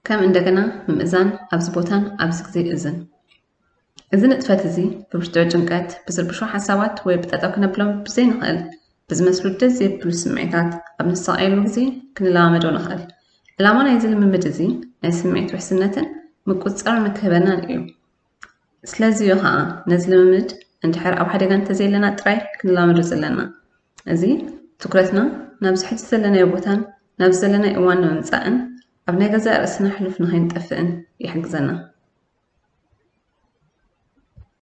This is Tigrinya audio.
ከም እንደገና ምምእዛን ኣብዚ ቦታን ኣብዚ ግዜ እዝን። እዚ ንጥፈት እዚ ብብርቱዕ ጭንቀት፣ ብዝርብሹ ሓሳባት ወይ ብጠጠው ክነብሎም ብዘይንኽእል ብዝመስሉ ደስ ዘይብሉ ስምዒታት ኣብ ንሳቐየሉ ግዜ ክንለማመዶ ንኽእል። ዕላማ ናይዚ ልምምድ እዚ ናይ ስምዒት ውሕስነትን ምቁጽጻር ንክህበናን እዩ። ስለዚ እዩ ኸኣ ነዚ ልምምድ እንድሕር ኣብ ሓደጋ እንተዘየለና ጥራይ ክንለማመዶ ዘለና። እዚ ትኩረትና ናብዚ ሕጂ ዘለናዮ ቦታን ናብዚ ዘለናዮ እዋን ንምምጻእን ኣብ ናይ ገዛእ ርእስና ሕሉፍ ንኸይንጠፍእን ይሕግዘና።